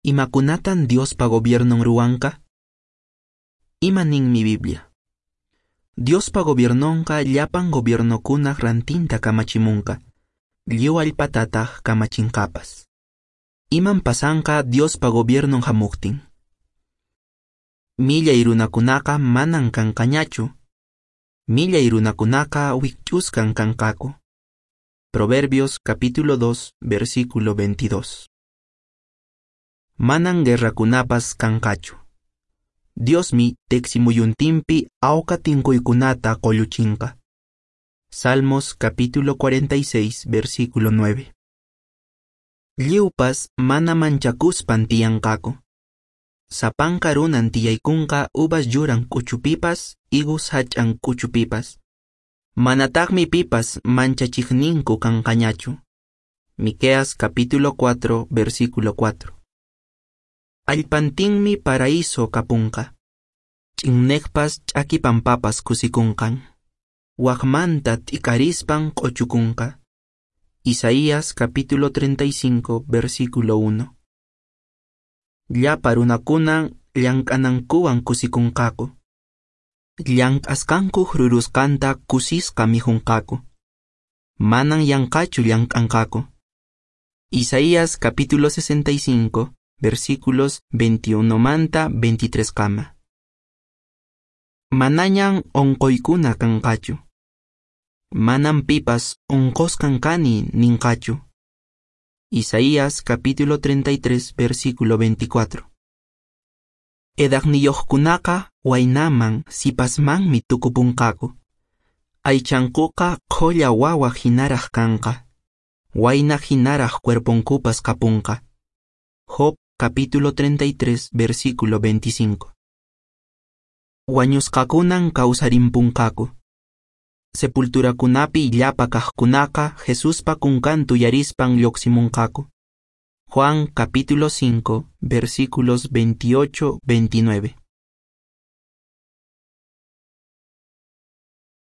Imakunatan Diospa gobiernon ruwanqa? Ima ninmi Biblia? Diospa gobiernonqa llapan gobiernokunaq rantinta kamachimunqa, lliw allpatataq kamachinqapas. Iman pasanqa Diospa gobiernon hamuqtin? Millay runakunaqa manan kanqañachu. Millay runakunaqa wikch'usqan kanqaku. Proverbios capítulo 2, versículo 22. Manan guerrakunapas kanqachu. Diosmi teqsimuyuntinpi awqa tinkuykunata qolluchinqa. Salmos capítulo 46, versículo 9. Lliwpas mana manchakuspan tiyanqaku. Sapanka runan tiyaykunqa uvas yuran k'uchupipas, higus hach'an k'uchupipas. Manataqmi pipas manchachiqninku kanqañachu. Miqueas capítulo 4, versículo 4. Allpantinmi paraíso kapunqa. Ch'inneqpas ch'aki pampapas kusikunqan. Waqmanta t'ikarispan q'uchukunqa. Isaías capítulo 35, versículo 1. Llapa runakunan llank'anankuwan kusikunqaku. Llank'asqankuq rurusqanta kusisqa mikhunqaku. Manan yanqachu llank'anqaku. Isaías capítulo 65, versículos 21 manta 23 kama. Manañan onqoykuna kanqachu. Manan pipas onqosqan kani ninqachu. Isaías capítulo 33, versículo 24. Edaqniyuqkunaqa waynaman sipasmanmi tukupunqaku. Aychankuqa qhulla wawa hinaraq kanqa. Wayna hinaraq cuerponkupas kapunqa. Job capítulo 33, versículo 25. Wañusqakunan kawsarimpunqaku. Sepulturakunapi llapa kaqkunaqa Jesuspa kunkanta uyarispan lluqsimunqaku. Juan capítulo 5, versículos 28, 29.